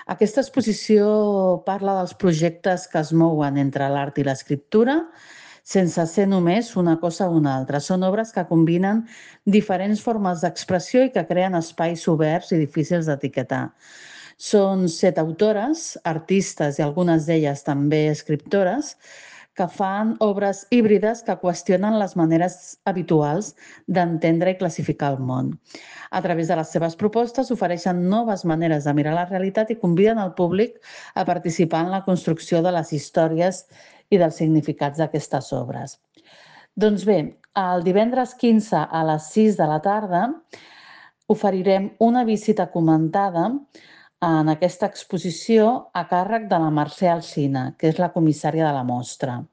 Aquesta exposició parla dels projectes que es mouen entre l'art i l'escriptura, sense ser només una cosa o una altra. Són obres que combinen diferents formes d'expressió i que creen espais oberts i difícils d'etiquetar. Són 7 autores, artistes i algunes d'elles també escriptores, que fan obres híbrides que qüestionen les maneres habituals d'entendre i classificar el món. A través de les seves propostes ofereixen noves maneres de mirar la realitat i conviden el públic a participar en la construcció de les històries i dels significats d'aquestes obres. Doncs bé, el divendres 15 a les 6 de la tarda oferirem una visita comentada en aquesta exposició a càrrec de la Mercè Alsina, que és la comissària de la mostra.